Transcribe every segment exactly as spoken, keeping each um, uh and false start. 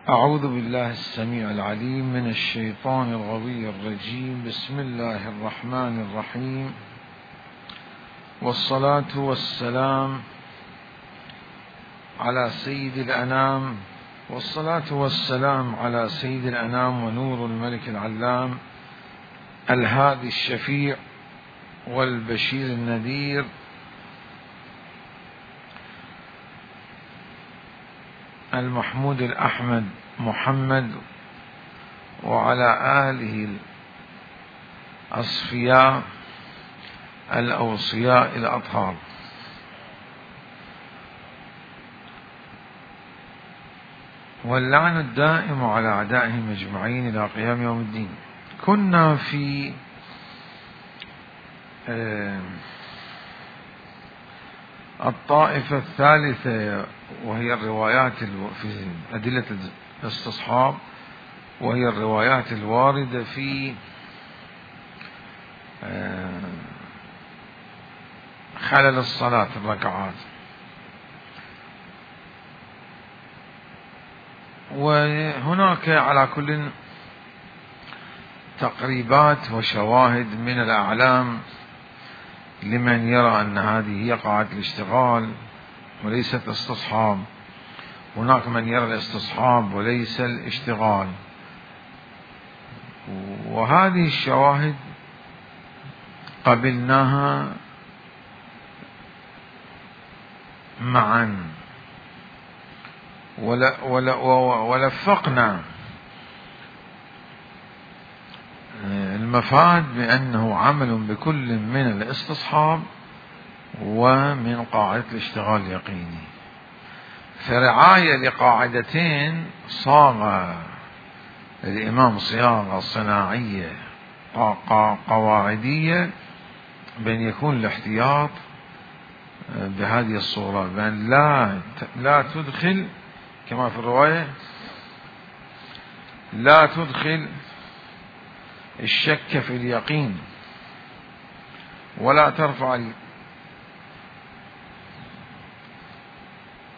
أعوذ بالله السميع العليم من الشيطان الغوي الرجيم. بسم الله الرحمن الرحيم، والصلاة والسلام على سيد الأنام والصلاة والسلام على سيد الأنام ونور الملك العلام الهادي الشفيع والبشير النذير المحمود الأحمد محمد، وعلى آله الأصفياء الأوصياء الأطهار. واللعن الدائم على أعدائهم أجمعين إلى قيام يوم الدين. كنا في الطائفة الثالثة، وهي الروايات في أدلة الاستصحاب، وهي الروايات الواردة في خلل الصلاة الركعات. وهناك على كل تقريبات وشواهد من الأعلام لمن يرى أن هذه هي قاعدة الاشتغال وليست استصحاب. هناك من يرى الاستصحاب وليس الاشتغال، وهذه الشواهد قبلناها معا ولفقنا المفاد بأنه عمل بكل من الاستصحاب ومن قاعدة الاشتغال اليقيني. فرعاية لقاعدتين صاغ الإمام صياغة صناعية قواعدية، بأن يكون الاحتياط بهذه الصورة، بأن لا لا تدخل كما في الرواية لا تدخل الشك في اليقين، ولا ترفع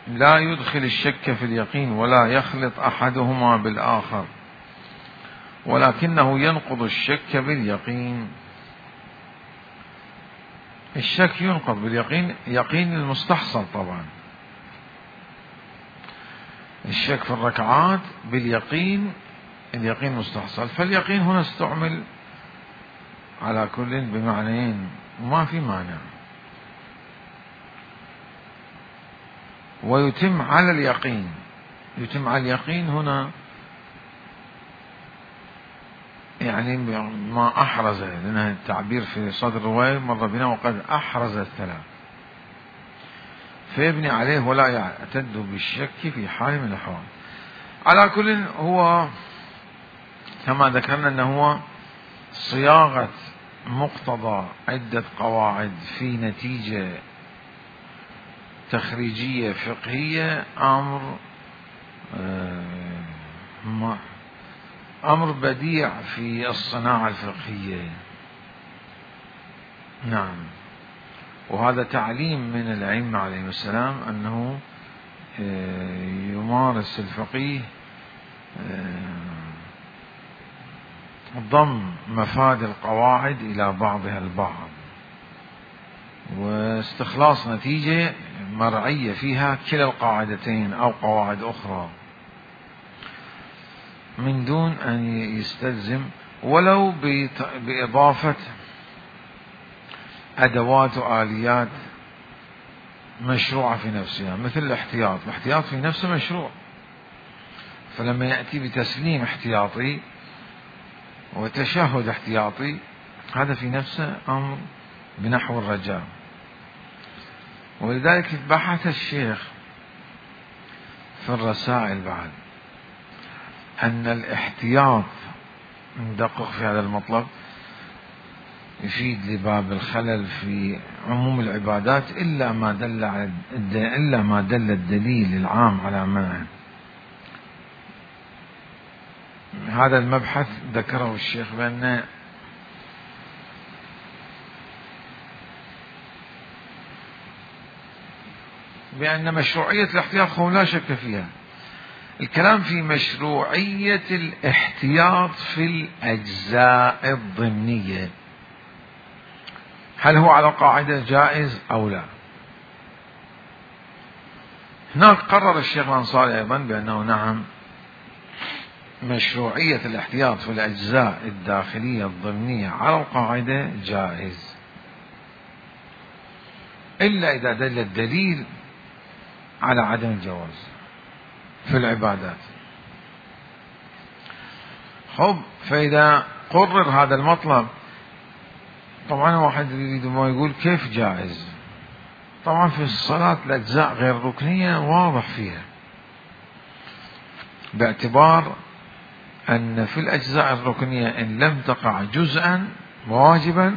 لا يدخل الشك في اليقين ولا يخلط أحدهما بالآخر، ولكنه ينقض الشك باليقين. الشك ينقض باليقين، يقين المستحصل طبعا. الشك في الركعات باليقين، اليقين مستحصل. فاليقين هنا استعمل على كل بمعنيين وما في مانع. ويتم على اليقين، يتم على اليقين هنا يعني ما أحرز، لأن التعبير في صدر الرواية مر بنا وقد أحرز الثلاث، فيبني عليه ولا يعتد بالشك في حال من الأحوال. على كل هو كما ذكرنا أنه هو صياغة مقتضى عدة قواعد في نتيجة تخريجية فقهية، أمر أمر بديع في الصناعة الفقهية. نعم، وهذا تعليم من الأئمة عليهم السلام أنه يمارس الفقيه ضم مفاد القواعد إلى بعضها البعض، واستخلاص نتيجة مرعية فيها كلا القاعدتين أو قواعد أخرى، من دون أن يستلزم ولو بإضافة أدوات وآليات مشروعة في نفسها، مثل الاحتياط. الاحتياط في نفسه مشروع، فلما يأتي بتسليم احتياطي وتشهد احتياطي، هذا في نفسه أمر بنحو الرجاء. ولذلك بحث الشيخ في الرسائل بعد أن الاحتياط، ندقق في هذا المطلب، يفيد لباب الخلل في عموم العبادات إلا ما دل على إلا ما دل الدليل العام على منعه. هذا المبحث ذكره الشيخ بأن بأن مشروعية الاحتياط لا شك فيها، الكلام في مشروعية الاحتياط في الأجزاء الضمنية، هل هو على قاعدة جائز أو لا؟ هناك قرر الشيخ الأنصاري أيضا بأنه نعم، مشروعية الاحتياط في الأجزاء الداخلية الضمنية على القاعدة جائز، إلا إذا دل الدليل على عدم الجواز في العبادات. خب، فإذا قرر هذا المطلب، طبعا واحد يريد ما يقول كيف جائز؟ طبعا في الصلاة الأجزاء غير ركنية واضح فيها، باعتبار أن في الأجزاء الركنية إن لم تقع جزءا واجبا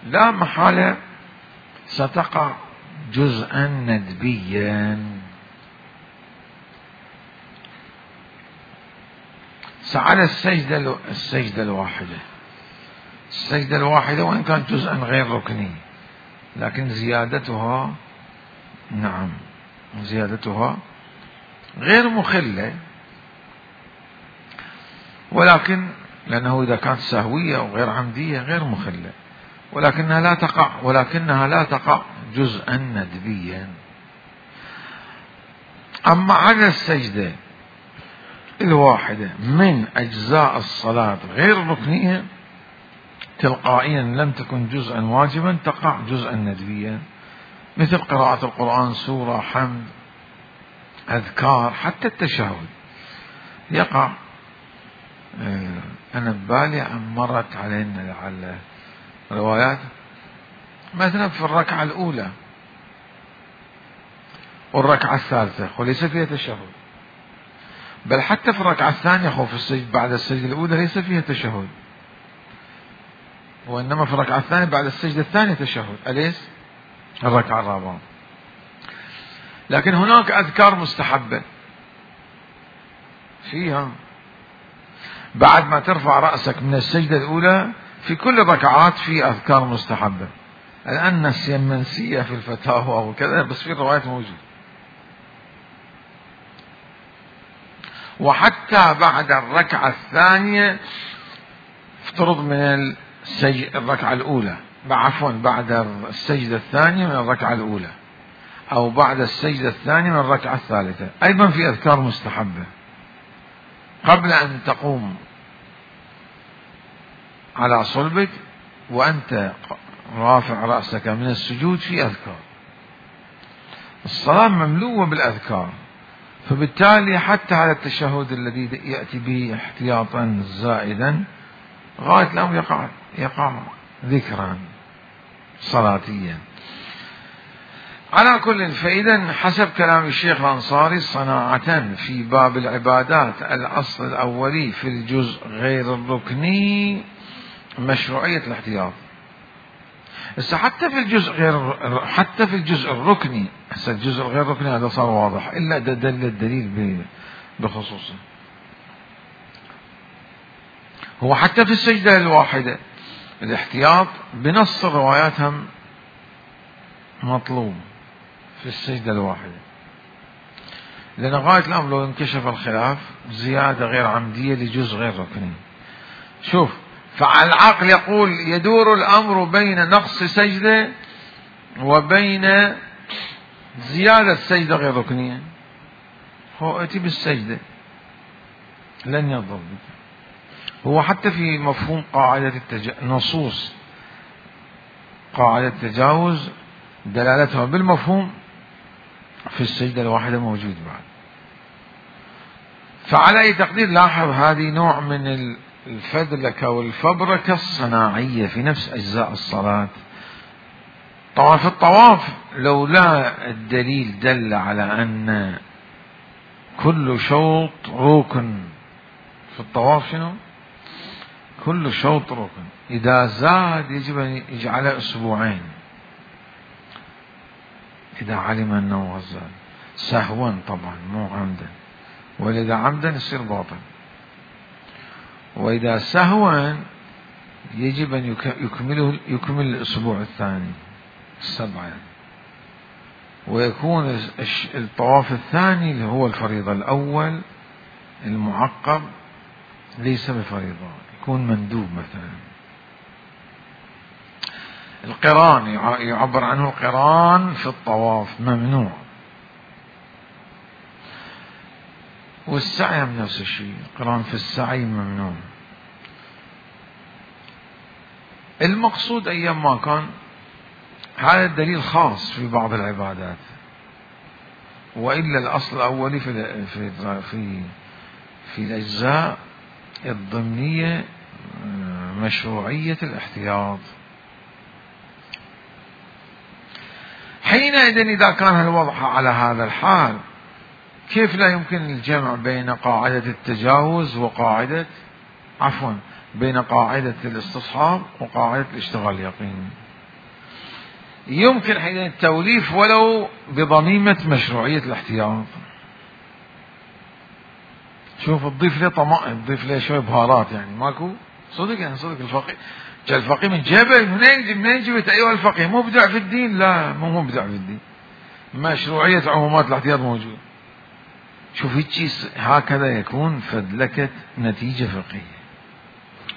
لا محالة ستقع جزءا ندبيا. على السجدة السجدة الواحدة، السجدة الواحدة وإن كانت جزءا غير ركني، لكن زيادتها نعم زيادتها غير مخلة، ولكن لأنه إذا كانت سهوية أو غير عمدية غير مخلة، ولكنها لا تقع ولكنها لا تقع جزءا ندبيا. أما على السجدة الواحدة من أجزاء الصلاة غير ركنية تلقائيا لم تكن جزءا واجبا تقع جزءا ندبيا، مثل قراءة القرآن، سورة، حمد، أذكار، حتى التشهد يقع. أنا ببالي مرت علينا لعل روايات مثلا في الركعة الأولى والركعة الثالثة وليس فيها تشهد، بل حتى في الركعة الثانية خوف السجد بعد السجدة الأولى ليس فيها تشهد، وإنما في الركعة الثانية بعد السجدة الثانية تشهد، أليس الركعة الرابعة. لكن هناك أذكار مستحبة فيها بعد ما ترفع رأسك من السجدة الأولى، في كل الركعات في أذكار مستحبة، الآن السيمنسية في الفتاوى وكذا، بس في الروايات موجود. وحتى بعد الركعة الثانية افترض من السجد الركعة الأولى، عفوا بعد السجدة الثانية من الركعة الأولى، أو بعد السجدة الثانية من الركعة الثالثة، أيضا في أذكار مستحبة قبل أن تقوم على صلبك وأنت رافع رأسك من السجود، في أذكار. الصلاة مملوءة بالأذكار، فبالتالي حتى على التشهد الذي يأتي به احتياطا زائدا غاية الأمر يقع يقع ذكرا صلاتيا. على كل، فإذا حسب كلام الشيخ الأنصاري صناعة في باب العبادات الأصل الأولي في الجزء غير الركني مشروعية الاحتياط. بس حتى في الجزء غير حتى في الجزء الركني، هسه الجزء الغير ركني هذا صار واضح، إلا دل الدليل بخصوصه. هو حتى في السجدة الواحدة الاحتياط بنص الروايات هم مطلوب في السجدة الواحدة، لأن غاية الأمر لو انكشف الخلاف زيادة غير عمدية لجزء غير ركني. شوف، فالعقل يقول يدور الأمر بين نقص سجدة وبين زيادة سجدة غير ركنية، هو اتي بالسجدة لن يضر. هو حتى في مفهوم قاعدة التج... نصوص قاعدة التجاوز دلالتها بالمفهوم في السجدة الواحدة موجود بعد. فعلى أي تقدير لاحظ هذه نوع من الفذلكة والفبركة الصناعية في نفس أجزاء الصلاة. طبعا في الطواف لولا الدليل دل على أن كل شوط ركن في الطواف، شنو؟ كل شوط ركن، إذا زاد يجب أن يجعله أسبوعين إذا علم أنه زاد سهوا، طبعا مو عمدا، وإذا عمدا يصير باطل، وإذا سهوا يجب أن يكمله يكمل الأسبوع الثاني السبعة. ويكون الطواف الثاني اللي هو الفريضة الأول المعقب ليس بفريضة، يكون مندوب. مثلا القران يعبر عنه القران في الطواف ممنوع، والسعي من نفس الشيء، القران في السعي ممنوع. المقصود أيام ما كان هذا الدليل خاص في بعض العبادات، وإلا الأصل الأولي في في في, في الأجزاء الضمنية مشروعية الاحتياط. حينئذ إذا كان الوضع على هذا الحال، كيف لا يمكن الجمع بين قاعدة التجاوز وقاعدة عفوا بين قاعدة الاستصحاب وقاعدة الاشتغال اليقيني؟ يمكن حين التوليف ولو بضميمة مشروعية الاحتياط. شوف تضيف له طماطم، تضيف له شوية بهارات، يعني ماكو صدق، يعني صدق الفقيه جاء الفقيه من جبل، منين منين جبت أيها الفقيه؟ مبدع في الدين؟ لا، مو مبدع في الدين، مشروعية عمومات الاحتياط موجود. شوف هيك هكذا يكون فدلكة نتيجة فقهية،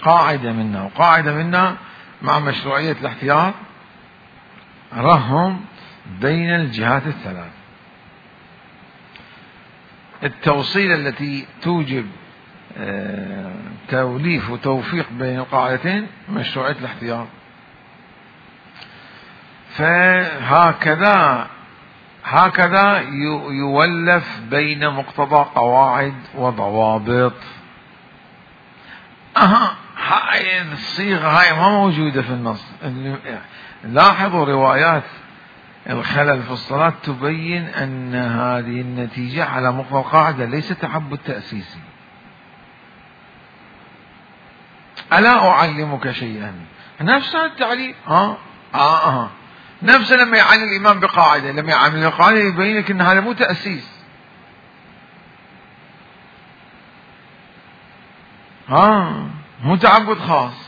قاعدة منا وقاعدة منا مع مشروعية الاحتياط، رهم بين الجهات الثلاث. التوصيلة التي توجب توليف وتوفيق بين القاعدتين مشروعية الاحتياط. فهكذا هكذا يولف بين مقتضى قواعد وضوابط. أها هاي الصيغة هاي ما موجودة في النص. لاحظوا روايات الخلل في الصلاة تبين أن هذه النتيجة على مقتضى القاعدة، ليس تعبد تأسيسي. ألا أعلمك شيئا؟ نفس التعليم ها آه آه. نفس لما يعلم الإمام بقاعدة، لما يعلم القاعدة يبين لك أن هذا مو تأسيس، ها مو تعبد خاص.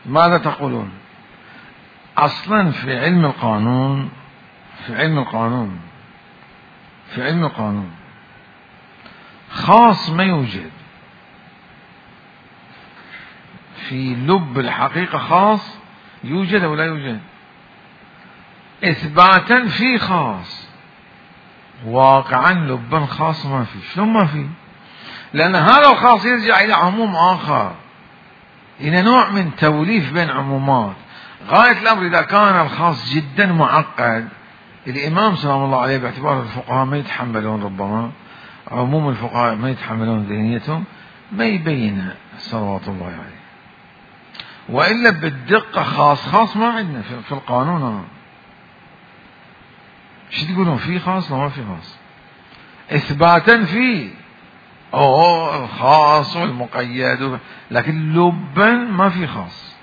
ماذا تقولون؟ أصلا في علم القانون في علم القانون في علم القانون خاص ما يوجد. في لب الحقيقة خاص يوجد أو لا يوجد؟ إثباتا في خاص، واقعا لبا خاص ما في. شلون ما في؟ لأن هذا الخاص يرجع إلى عموم آخر، إلى نوع من توليف بين عمومات. غاية الأمر إذا كان الخاص جدا معقد، الإمام سلام الله عليه باعتبار الفقهاء ما يتحملون، ربما عموم الفقهاء ما يتحملون ذهنيتهم، ما يبين صلوات الله عليه. وإلا بالدقة خاص خاص ما عندنا في القانون. شو تقولون؟ في خاص ولا ما في خاص؟ إثباتا فيه أوه الخاص والمقيد، لكن لبا ما في خاص.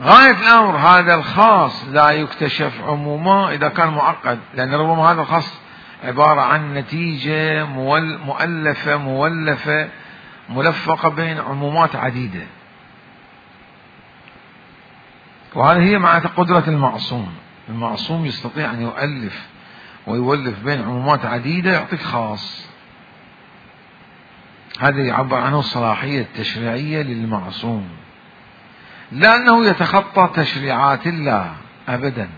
غاية الأمر هذا الخاص لا يكتشف عموما إذا كان معقد، لأن ربما هذا الخاص عبارة عن نتيجة مؤلفة مولفة ملفقة بين عمومات عديدة، وهذه هي معنى قدرة المعصوم. المعصوم يستطيع أن يؤلف ويولف بين عمومات عديدة يعطيك خاص. هذا يعبر عنه الصلاحية التشريعية للمعصوم، لأنه يتخطى تشريعات الله أبدا.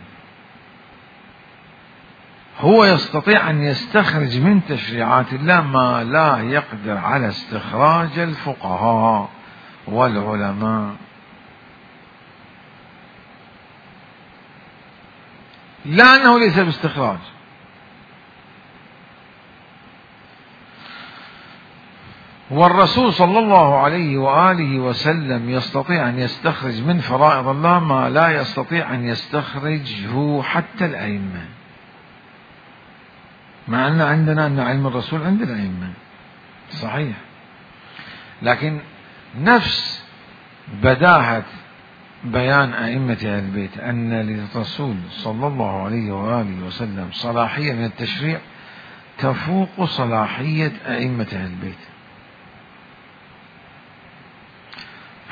هو يستطيع أن يستخرج من تشريعات الله ما لا يقدر على استخراج الفقهاء والعلماء، لأنه ليس باستخراج. والرسول صلى الله عليه وآله وسلم يستطيع أن يستخرج من فرائض الله ما لا يستطيع أن يستخرجه حتى الأئمة، مع أن عندنا أن علم الرسول عند الأئمة صحيح، لكن نفس بداهة بيان أئمة أهل البيت أن للرسول صلى الله عليه وآله وسلم صلاحية من التشريع تفوق صلاحية أئمة أهل البيت.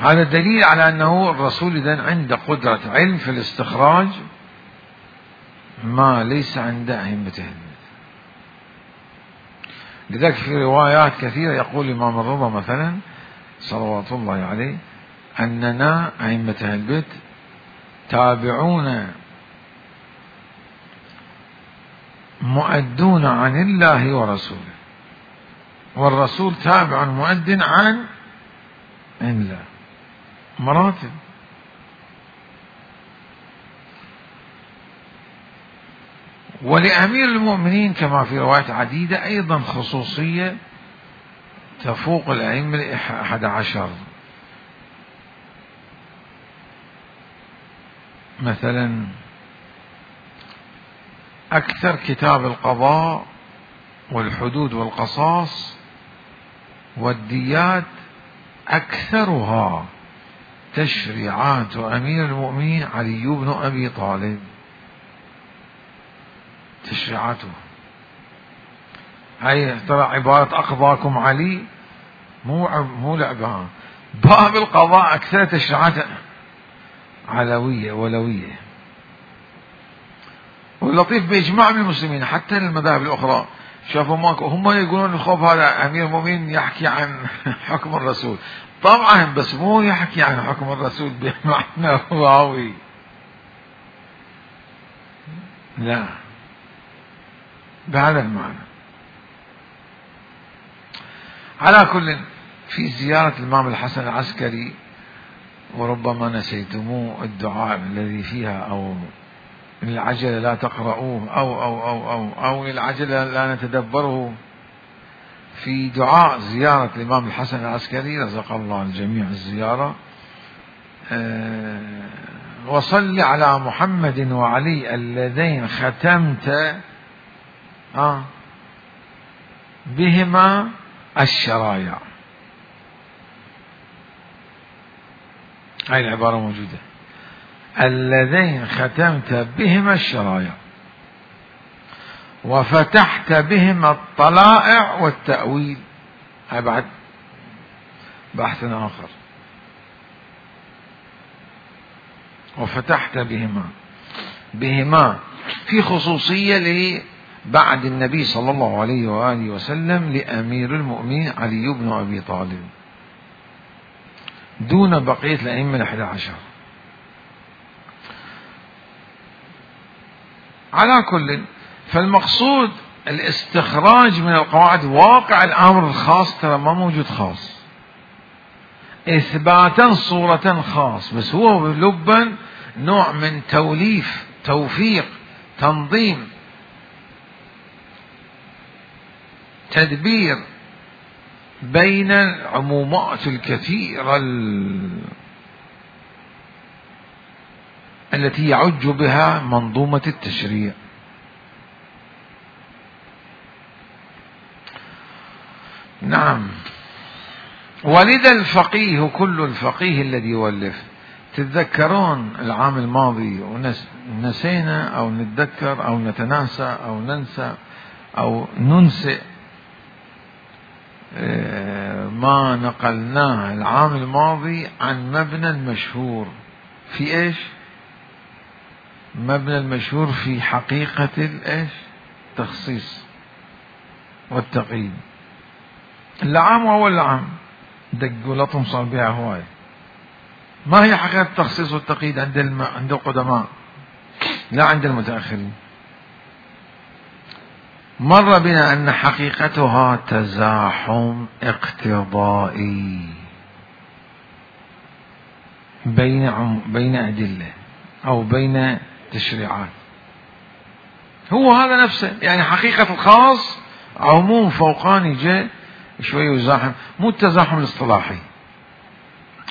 هذا دليل على أنه الرسول إذن عنده قدرة علم في الاستخراج ما ليس عند أئمته. لذلك في روايات كثيرة يقول الإمام الرضا مثلا صلوات الله عليه أننا أئمة البيت تابعون مؤدون عن الله ورسوله، والرسول تابع مؤد عن الله، مراتب. ولأمير المؤمنين كما في روايات عديدة أيضا خصوصية تفوق الأئمة الأحد عشر. مثلا أكثر كتاب القضاء والحدود والقصاص والديات أكثرها تشريعات أمير المؤمنين علي بن أبي طالب. تشريعاته هاي ترى عبارة أقضاكم علي مو مو لعبها. باب القضاء أكثر تشريعات علوية ولوية. واللطيف بإجماع من المسلمين حتى المذاهب الأخرى شافوا ماكو، هم يقولون الخوف هذا أمير المؤمنين يحكي عن حكم الرسول، طبعا بس مو يحكي عن حكم الرسول بمعنى رواوي، لا بهذا المعنى. على كل، في زيارة الإمام الحسن العسكري وربما نسيتموه الدعاء الذي فيها أو العجلة لا تقرؤوه أو أو أو أو أو العجلة لا نتدبره. في دعاء زيارة الإمام الحسن العسكري رزق الله الجميع الزيارة، أه وصل على محمد وعلي اللذين ختمت آه بهما الشرايع. هاي العبارة موجودة، اللذين ختمت بهما الشرايع وفتحت بهما الطلائع والتأويل. هاي بعد بحث آخر. وفتحت بهما بهما في خصوصية بعد النبي صلى الله عليه وآله وسلم لأمير المؤمنين علي بن أبي طالب دون بقية الأئمة الأحد عشر. على كل، فالمقصود الاستخراج من القواعد واقع الأمر الخاص ترى ما موجود خاص، إثباتا صورة خاص، بس هو لبا نوع من توليف توفيق تنظيم تدبير بين العمومات الكثيرة التي يعج بها منظومة التشريع. نعم. ولذا الفقيه كل الفقيه الذي يولف، تتذكرون العام الماضي ونسينا أو نتذكر أو نتناسى أو ننسى أو ننسئ ما نقلناه العام الماضي عن مبنى المشهور في ايش؟ مبنى المشهور في حقيقة الايش؟ التخصيص والتقييد. العام وأول العام دقوا لطم صار بها هواية. ما هي حقيقة التخصيص والتقييد عند الم... عند القدماء لا عند المتأخرين؟ مر بنا أن حقيقتها تزاحم اقتضائي بين عم... بين أدلة أو بين تشريعات. هو هذا نفسه، يعني حقيقة الخاص عموم فوقاني جاء شوي يزاحم، مو التزاحم الاصطلاحي.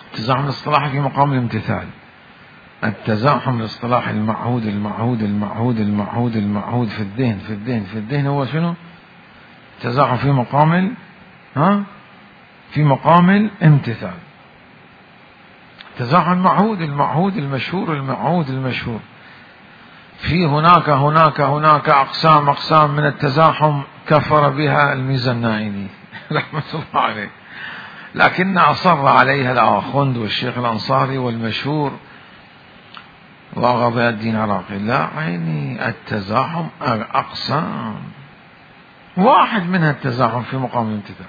التزاحم الاصطلاحي في مقام الامتثال، التزاحم الاصطلاحي المعهود المعهود المعهود المعهود المعهود في الذهن في الذهن في الذهن هو شنو؟ التزاحم في مقام ها في مقام الامتثال. التزاحم المعهود المعهود المشهور المعهود المشهور. في هناك هناك هناك أقسام أقسام من التزاحم كفر بها الميزانائي رحمة الله عليه. لكن أصر عليها الآخوند والشيخ الأنصاري والمشهور وغضي الدين العراقي. لا عيني، التزاحم أقسام، واحد منها التزاحم في مقام الامتثال،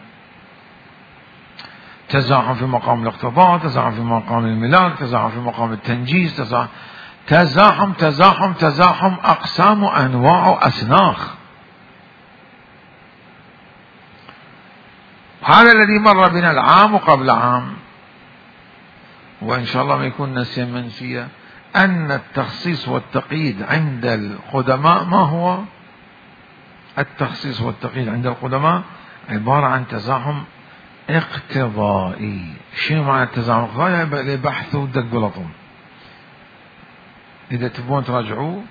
تزاحم في مقام الاقتضاء، تزاحم في مقام الملاك، تزاحم في مقام التنجيز، تزاحم تزاحم تزاحم, تزاحم أقسام وأنواع وأسناخ. هذا الذي مر بنا العام وقبل عام، وإن شاء الله ما يكون نسيا منسيا، أن التخصيص والتقييد عند القدماء ما هو؟ التخصيص والتقييد عند القدماء عبارة عن تزاحم اقتضائي. شنو معنى التزاحم الاقتضائي؟ لبحث ودق ولطم. إذا تبون تراجعوه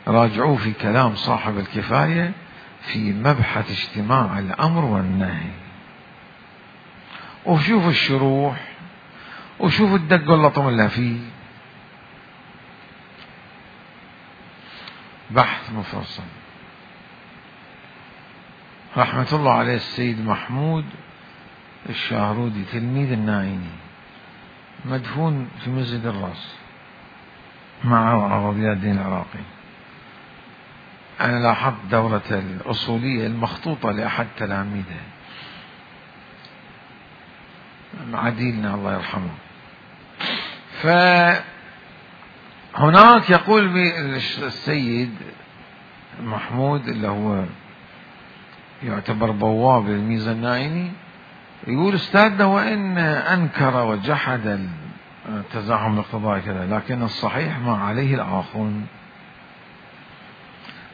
راجعوه في كلام صاحب الكفاية في مبحث اجتماع الأمر والنهي، وشوفوا الشروح وشوفوا الدق واللطم اللي فيه، بحث مفصل. رحمة الله عليه السيد محمود الشاهرودي تلميذ النائني مدفون في مسجد الراس مع غضي الدين العراقي. أنا لاحظت دورة الأصولية المخطوطة لأحد تلاميذه عديلنا الله يرحمه. فهناك يقول السيد محمود اللي هو يعتبر بواب الميزة النائني، يقول استاذنا وإن أنكر وجحد التزاحم الاقتضائي كذا، لكن الصحيح ما عليه الآخرون.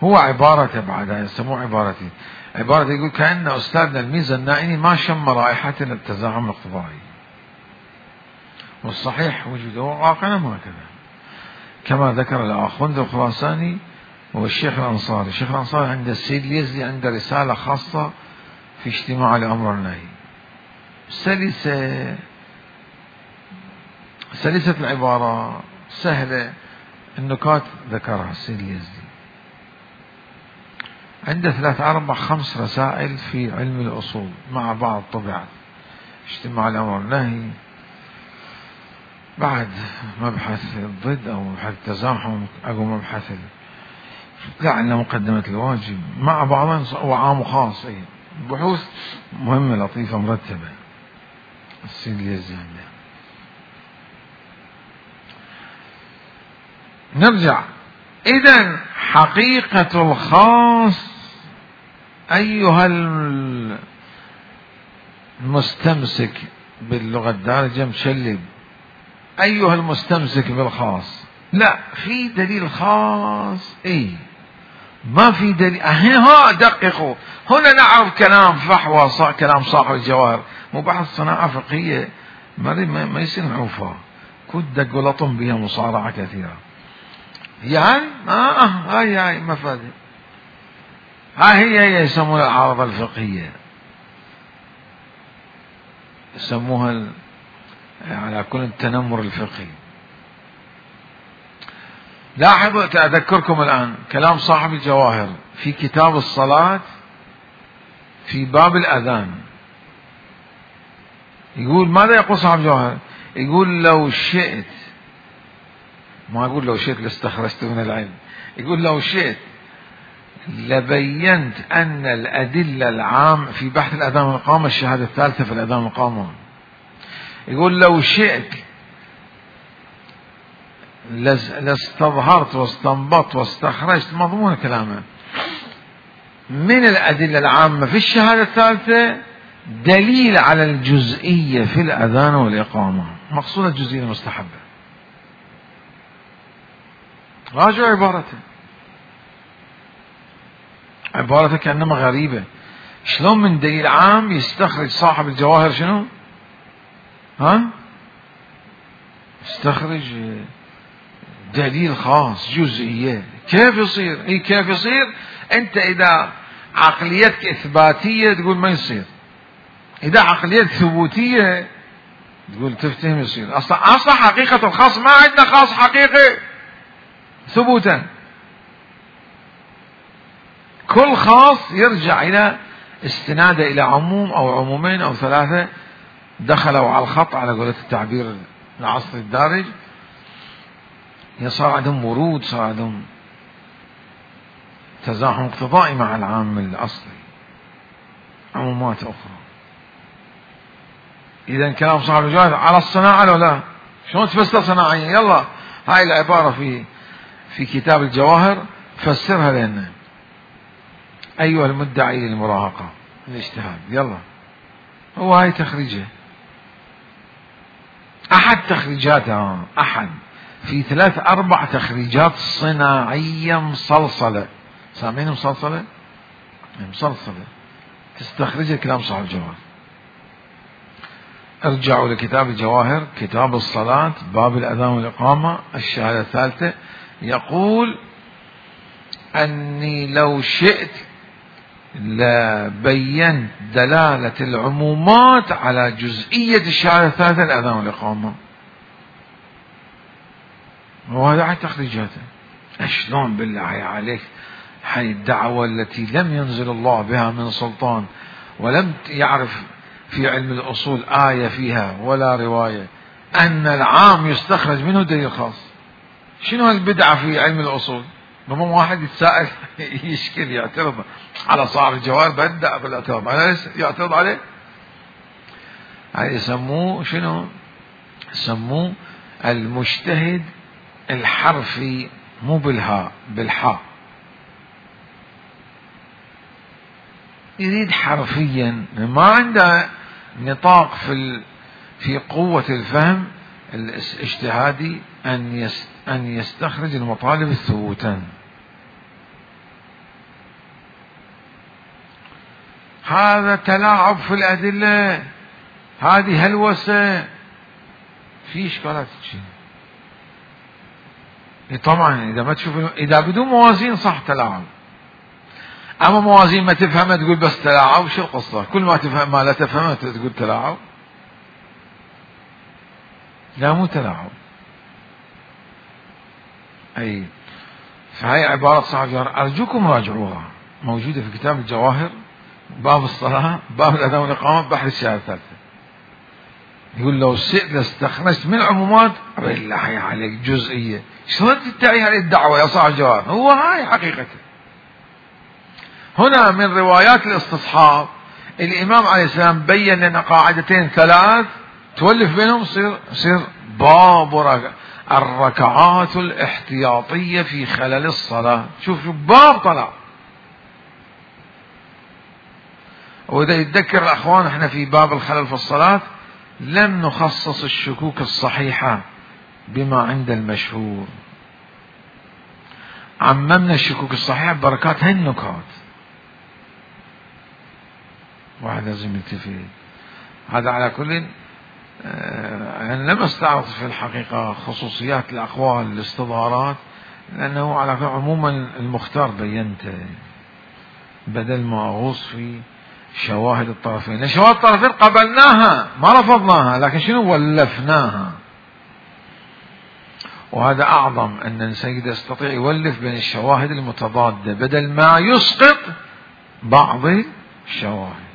هو عبارة بعدها يسموه عبارتي عبارة يقول كأن أستاذنا الميزة النائني ما شم رائحة التزاحم الاقتضائي، والصحيح وجوده واقعنا ما كذا، كما ذكر الآخوند الخراساني والشيخ الأنصاري. الشيخ الأنصاري عند السيد اليزدي عنده رسالة خاصة في اجتماع الأمر والنهي، سلسة سلسة العبارة سهلة، النكات ذكرها السيد اليزدي. عنده ثلاث أربع خمس رسائل في علم الأصول مع بعض طبعت اجتماع الأمر والنهي، بعد مبحث الضد أو مبحث التزاحم أو مبحث لعل مقدمة الواجب مع بعضهم، وعام وخاص، أي بحوث مهمة لطيفة مرتبة السيد اليزدي. نرجع إذن حقيقة الخاص أيها المستمسك باللغة الدارجة مشلب، أيها المستمسك بالخاص، لا في دليل خاص، اي ما في دليل. ها دققوا هنا نعرف كلام فحوى كلام صاحب الجواهر، مو بحث صناعة فقهية ما ما يصير نعوفها، كود دق ولطم بها مصارعة كثيرة. يعني اه هاي هاي مفادي، ها هي هي يسمونها العارضة الفقهية، يسموها على كل التنمر الفقهي. لاحظوا أذكركم الآن كلام صاحب الجواهر في كتاب الصلاة في باب الأذان، يقول ماذا يقول صاحب الجواهر؟ يقول لو شئت، ما يقول لو شئت لاستخرجت من العلم، يقول لو شئت لبينت أن الأدلة العام في بحث الأذان والإقامة، الشهادة الثالثة في الأذان والإقامة، يقول لو شئت لاستظهرت واستنبطت واستخرجت مضمون كلامه من الأدلة العامة في الشهادة الثالثة دليل على الجزئية في الأذان والإقامة، مقصود الجزئية المستحبة. راجع عبارته، عبارته كأنما غريبة، شلون من دليل عام يستخرج صاحب الجواهر شنو؟ ها؟ يستخرج دليل خاص جزئية، كيف يصير؟ اي كيف يصير؟ انت اذا عقليتك اثباتية تقول ما يصير، اذا عقليتك ثبوتية تقول تفتهم يصير. اصلا اصلا حقيقة الخاص ما عندنا خاص حقيقي ثبوتا، كل خاص يرجع الى استناده الى عموم او عمومين او ثلاثة دخلوا على الخط على قولة التعبير العصري الدارج، صار عندهم ورود، صار عندهم تزاحم اقتضائي مع العام الأصلي، عمومات أخرى. إذا كلام صاحب الجواهر على الصناعة لو لا، شلون تفسر صناعيا؟ يلا هاي العبارة في في كتاب الجواهر فسرها لنا أيها المدعي للمراهقة الاجتهاد. يلا هو هاي تخريجه، أحد تخريجاتها، أحد في ثلاث أربع تخريجات صناعية مصلصلة. سامعين مصلصلة؟ مصلصلة تستخرج كلام صاحب الجواهر. ارجعوا لكتاب الجواهر، كتاب الصلاة، باب الأذان والإقامة، الشهادة الثالثة، يقول أني لو شئت لبينت دلالة العمومات على جزئية الشهادة الثالثة، الأذان والإقامة. وهذا عن تخريجاته. شلون بالله عليك هاي الدعوة التي لم ينزل الله بها من سلطان، ولم يعرف في علم الأصول آية فيها ولا رواية أن العام يستخرج منه دليل خاص؟ شنو البدعة في علم الأصول؟ لما واحد يتساءل يشكل يعترض على صاحب الجواهر، بدأ بالاعتراض على يعترض عليه. هاي يسموه شنو؟ يسموه المجتهد الحرفي، مو بالهاء بالحاء، يريد حرفيا، ما عنده نطاق في في قوة الفهم الاجتهادي أن أن يستخرج المطالب الثبوتا. هذا تلاعب في الأدلة، هذه هلوسة، في إشكالات شيء. طبعا إذا ما تشوف، إذا بدون موازين صح تلاعب، أما موازين ما تفهمها تقول بس تلاعب، شو القصة؟ كل ما تفهم ما لا تفهمها تقول تلاعب؟ لا مو تلاعب. أي فهي عبارة صاحب الجواهر، أرجوكم راجعوها، موجودة في كتاب الجواهر، باب الصلاة، باب الأذان والإقامة، بحر الشهادة الثالثة. يقول لو شئت لاستخرجت من عمومات، بالله عليك جزئية، شلون تدعي هذه الدعوة يا صاحب الجواهر؟ هو هاي حقيقته. هنا من روايات الاستصحاب الإمام عليه السلام بين لنا قاعدتين ثلاث تولف بينهم يصير يصير باب الركعات الاحتياطية في خلال الصلاة. شوف شوف باب طلع. وإذا يتذكر الأخوان احنا في باب الخلل في الصلاة لم نخصص الشكوك الصحيحة بما عند المشهور، عممنا الشكوك الصحيحة ببركات هاي النكات. واحد لازم يلتفت. هذا على كل أنا لم أستعرض في الحقيقة خصوصيات الأقوال الاستظهارات، لأنه على عموما المختار بينته بدل ما أغوص في شواهد الطرفين. شواهد الطرفين قبلناها ما رفضناها، لكن شنو ولفناها. وهذا أعظم أن السيد يستطيع يولف بين الشواهد المتضادة بدل ما يسقط بعض الشواهد.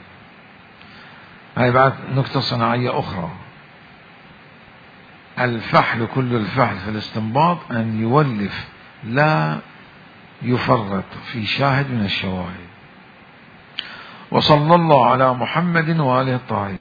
هاي بعد نكتة صناعية أخرى، الفحل كل الفحل في الاستنباط أن يولف لا يفرط في شاهد من الشواهد. وصلى الله على محمد وآله الطاهرين.